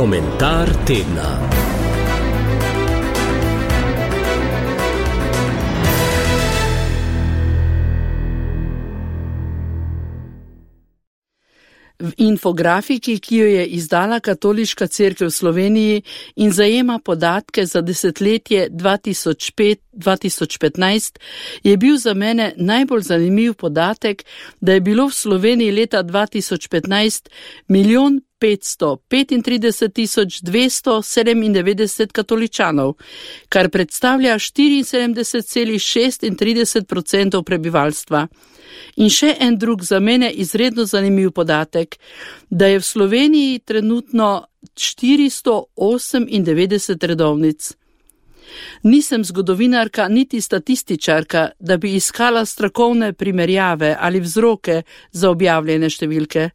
Komentar tedna. V infografiki, ki jo je izdala Katoliška cerkev v Sloveniji in zajema podatke za desetletje 2005-2015, je bil za mene najbolj zanimiv podatek, da je bilo v Sloveniji leta 2015 1.535.297 katoličanov, kar predstavlja 74,36% prebivalstva. In še en drug za mene izredno zanimiv podatek, da je v Sloveniji trenutno 498 redovnic. Nisem zgodovinarka niti statističarka, da bi iskala strokovne primerjave ali vzroke za objavljene številke.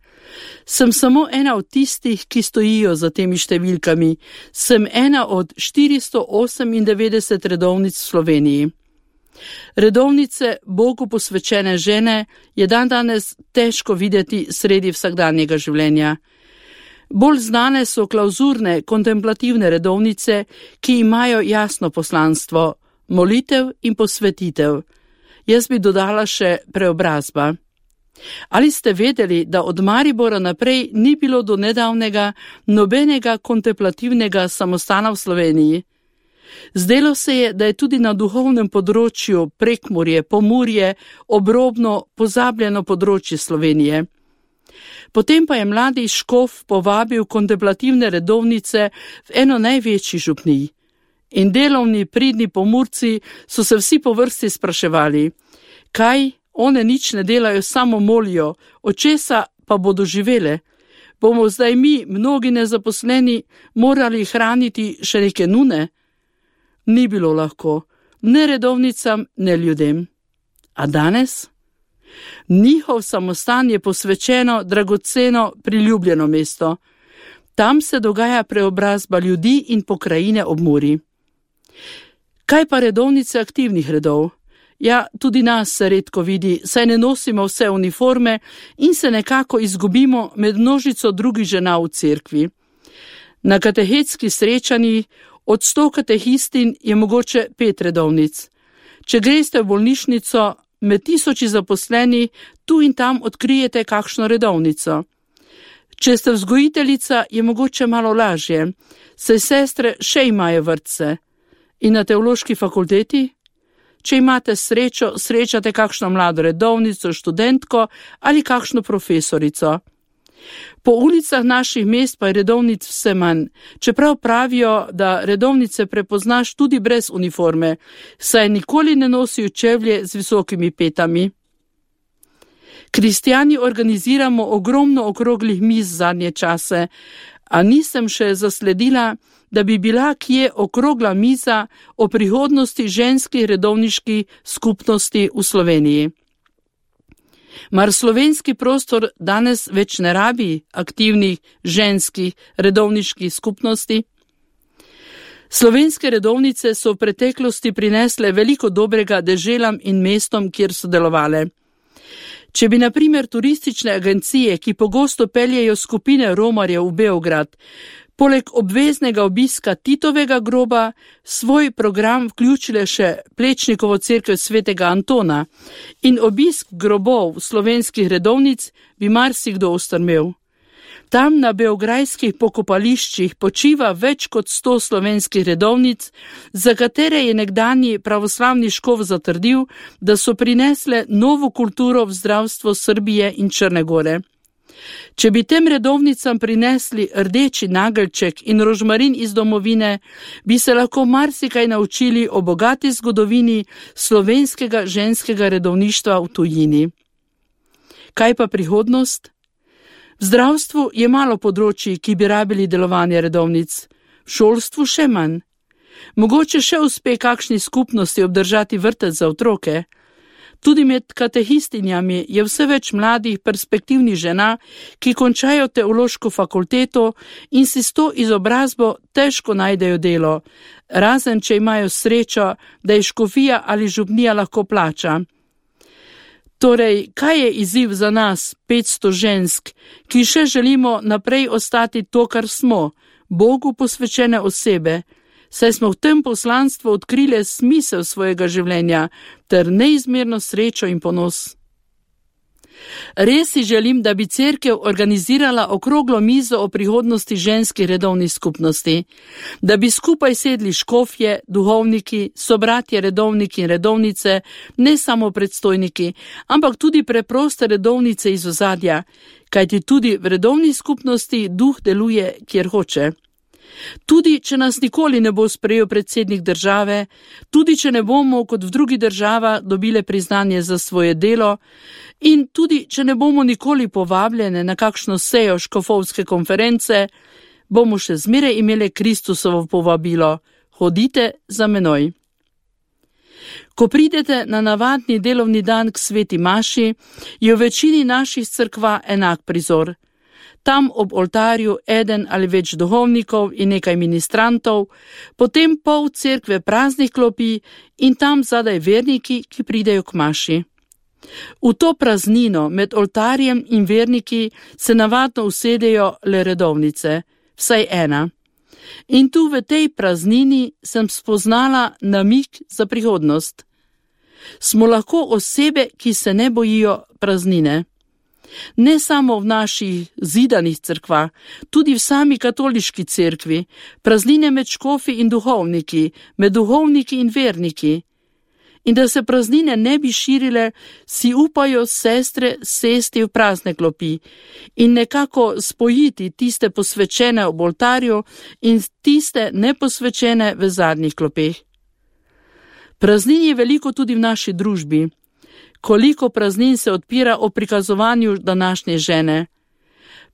Sem samo ena od tistih, ki stojijo za temi številkami. Sem ena od 498 redovnic v Sloveniji. Redovnice Bogu posvečene žene je dandanes težko videti sredi vsakdanjega življenja. Bolj znane so klauzurne, kontemplativne redovnice, ki imajo jasno poslanstvo, molitev in posvetitev. Jaz bi dodala še preobrazba. Ali ste vedeli, da od Maribora naprej ni bilo do nedavnega nobenega kontemplativnega samostana v Sloveniji? Zdelo se je, da je tudi na duhovnem področju Prekmurje, Pomurje, obrobno pozabljeno področje Slovenije. Potem pa je mladi škof povabil kontemplativne redovnice v eno največjih župnij. In delovni, pridni Pomurci so se vsi po vrsti spraševali, kaj, one nič ne delajo, samo molijo, od česa pa bodo živele? Bomo zdaj mi, mnogi nezaposleni, morali hraniti še neke nune? Ni bilo lahko, ne redovnicam, ne ljudem. A danes? Njihov samostan je posvečeno, dragoceno, priljubljeno mesto. Tam se dogaja preobrazba ljudi in pokrajine ob Muri. Kaj pa redovnice aktivnih redov? Ja, tudi nas se redko vidi, saj ne nosimo vse uniforme in se nekako izgubimo med množico drugih žena v cerkvi. Na katehetski srečanji od 100 katehistin je mogoče 5 redovnic. Če greste v bolnišnico, med 1000 zaposleni, tu in tam odkrijete kakšno redovnico. Če ste vzgojiteljica, je mogoče malo lažje, saj sestre še imajo vrtce. In na teološki fakulteti? Če imate srečo, srečate kakšno mlado redovnico, študentko ali kakšno profesorico. Po ulicah naših mest pa je redovnic vse manj, čeprav pravijo, da redovnice prepoznaš tudi brez uniforme, saj nikoli ne nosijo čevlje z visokimi petami. Kristjani organiziramo ogromno okroglih miz zadnje čase, a nisem še zasledila, da bi bila kje okrogla miza o prihodnosti ženskih redovniških skupnosti v Sloveniji. Mar slovenski prostor danes več ne rabi aktivnih ženskih redovniških skupnosti? Slovenske redovnice so v preteklosti prinesle veliko dobrega deželam in mestom, kjer so delovale. Če bi na primer turistične agencije, ki pogosto peljejo skupine romarjev v Beograd, poleg obveznega obiska Titovega groba, svoj program vključile še Plečnikovo cerkev svetega Antona in obisk grobov slovenskih redovnic, bi marsikdo ostrmel. Tam na beograjskih pokopališčih počiva več kot 100 slovenskih redovnic, za katere je nekdanji pravoslavni škof zatrdil, da so prinesle novo kulturo v zdravstvo Srbije in Črne Gore. Če bi tem redovnicam prinesli rdeči nageljček in rožmarin iz domovine, bi se lahko marsikaj naučili o bogati zgodovini slovenskega ženskega redovništva v tujini. Kaj pa prihodnost? V zdravstvu je malo področji, ki bi rabili delovanje redovnic, v šolstvu še manj. Mogoče še uspe kakšni skupnosti obdržati vrtec za otroke. Tudi med katehistinjami je vse več mladih perspektivnih žena, ki končajo teološko fakulteto in si s to izobrazbo težko najdejo delo, razen če imajo srečo, da je škofija ali župnija lahko plača. Torej, kaj je izziv za nas, 500 žensk, ki še želimo naprej ostati to, kar smo, Bogu posvečene osebe, saj smo v tem poslanstvu odkrili smisel svojega življenja ter neizmerno srečo in ponos. Res si želim, da bi cerkev organizirala okroglo mizo o prihodnosti ženskih redovnih skupnosti, da bi skupaj sedli škofje, duhovniki, sobratje redovniki in redovnice, ne samo predstojniki, ampak tudi preproste redovnice iz ozadja, kajti tudi v redovni skupnosti duh deluje, kjer hoče. Tudi, če nas nikoli ne bo sprejel predsednik države, tudi, če ne bomo kot v drugi država dobile priznanje za svoje delo in tudi, če ne bomo nikoli povabljene na kakšno sejo škofovske konference, bomo še zmeraj imeli Kristusovo povabilo: hodite za menoj. Ko pridete na navadni delovni dan k sveti maši, je v večini naših cerkva enak prizor. Tam ob oltarju eden ali več duhovnikov in nekaj ministrantov, potem pol cerkve praznih klopi in tam zadaj verniki, ki pridejo k maši. V to praznino med oltarjem in verniki se navadno usedejo le redovnice, vsaj ena. In tu v tej praznini sem spoznala namig za prihodnost. Smo lahko osebe, ki se ne bojijo praznine. Ne samo v naših zidanih cerkvah, tudi v sami katoliški cerkvi, praznine med škofi in duhovniki, med duhovniki in verniki. In da se praznine ne bi širile, si upajo sestre sesti v prazne klopi in nekako spojiti tiste posvečene ob oltarju in tiste neposvečene v zadnjih klopeh. Praznin je veliko tudi v naši družbi. Koliko praznin se odpira o prikazovanju današnje žene.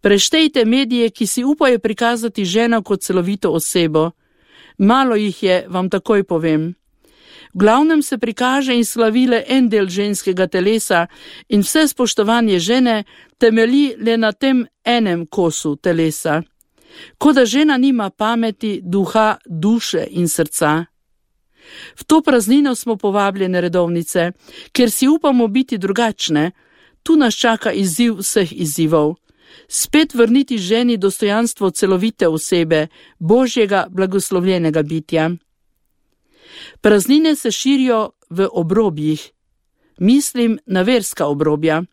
Preštejte medije, ki si upajo prikazati ženo kot celovito osebo. Malo jih je, vam takoj povem. V glavnem se prikaže in slavi le en del ženskega telesa in vse spoštovanje žene temelji le na tem enem kosu telesa. Kot da žena nima pameti, duha, duše in srca. V to praznino smo povabljene redovnice, ker si upamo biti drugačne. Tu nas čaka izziv vseh izzivov. Spet vrniti ženi dostojanstvo celovite osebe, Božjega blagoslovljenega bitja. Praznine se širijo v obrobjih. Mislim na verska obrobja.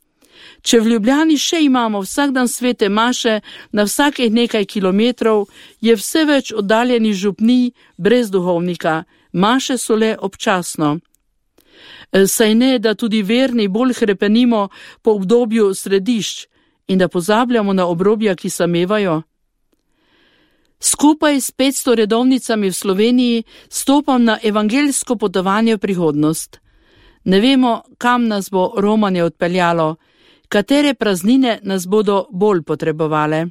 Če v Ljubljani še imamo vsak dan svete maše na vsakih nekaj kilometrov, je vse več oddaljenih župnij brez duhovnika. Maše so le občasno. Saj ne, da tudi verni bolj hrepenimo po obdobju središč in da pozabljamo na obrobja, ki samevajo. Skupaj s 500 redovnicami v Sloveniji stopam na evangeljsko potovanje v prihodnost. Ne vemo, kam nas bo romanje odpeljalo, katere praznine nas bodo bolj potrebovale.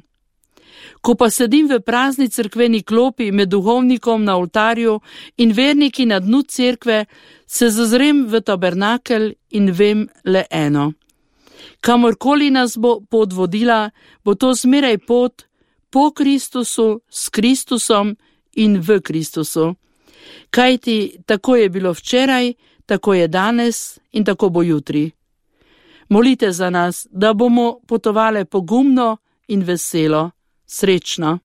Ko pa sedim v prazni cerkveni klopi med duhovnikom na oltarju in verniki na dnu cerkve, se zazrem v tabernakel in vem le eno. Kamorkoli nas bo pot vodila, bo to zmeraj pot po Kristusu, s Kristusom in v Kristusu. Kajti tako je bilo včeraj, tako je danes in tako bo jutri. Molite za nas, da bomo potovali pogumno in veselo. Srečno.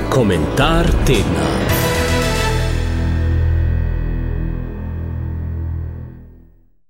Komentar tedna.